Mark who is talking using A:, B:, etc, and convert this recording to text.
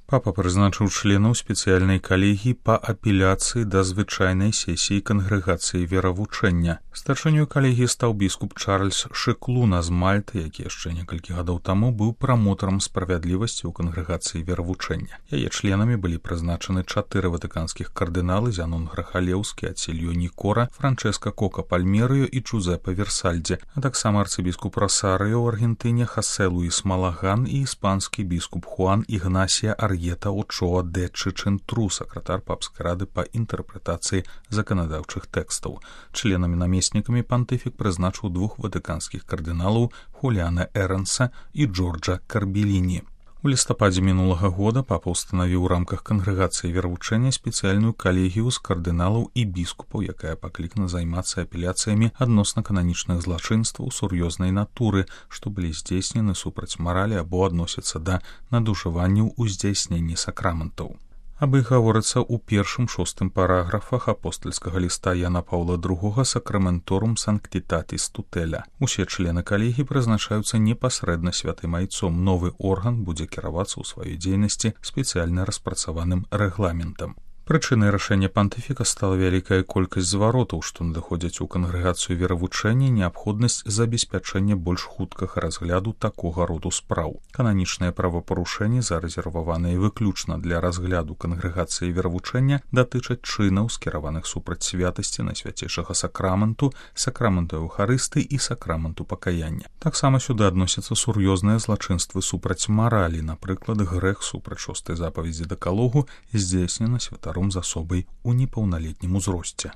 A: Папа прызначыў членаў спецыяльнай калегіі па апеляцыі да звычайнай сесіі кангрэгацыі веравучэння. Старшынёй калегіі стаў біскуп Чарльз Шыклуна з Мальты, які яшчэ некалькі гадоў таму быў прамотарам справядлівасці ў кангрэгацыі веравучэння. Яе членамі былі прызначаны 4 ватыканскіх кардыналы: Зянон Грахалеўскі, Ацільо Нікора, Франчэска Кока Пальмерыо і Джузеппе Версальдзе, а таксама арцыбіскуп Росарыо ў Аргентыне Хосе Луіс Малаган і іспанскі біскуп Хуан Ігнасія Ар'ета Очоа де Чычентру, сакратар папскай рады па інтэрпрэтацыі заканадаўчых тэкстаў. Членамі-намеснікамі пантыфік прызначыў 2 ватыканскіх кардыналаў Хуліана Эранса і Джорджа Карбеліні. У лістападзе мінулага года папа ўстанавіў у рамках кангрэгацыі веравучэння спецыяльную калегію з кардыналаў і біскупаў, якая паклікана займацца апеляцыямі адносна кананічных злачынстваў сур'ёзнай натуры, што былі здзейснены супраць маралі або адносяцца да надужыванняў у здзяйсненні сакраментаў. Аб іх гаворыцца ў 1-6 параграфах апостальскага ліста Яна Паўла II Сакраменторум Санктітатіс Тутэля. Усе члены калегіі прызначаюцца непасрэдна святым айцом. Новы орган будзе кіравацца ў сваёй дзейнасці спецыяльна распрацаваным рэгламентам. Прычынай рашэння пантыфіка стала вялікая колькасць зваротаў, што надыходзяць у кангрэгацыю веравучэння, неабходнасць забеспячэння больш хуткага разгляду такога роду спраў. Кананічныя правапарушэнні, зарэзерваваныя выключна для разгляду кангрэгацыі веравучэння, датычаць чынаў, скіраваных супраць святасці найсвяцейшага сакраменту, сакраменту Еўхарысты і сакраменту пакаяння. Таксама сюды адносяцца сур'ёзныя злачынствы супраць маралі, напрыклад, грэх супраць 6-й запаведзі дэкалогу, здзейснена святаром з асобай у непаўналетнім узросце.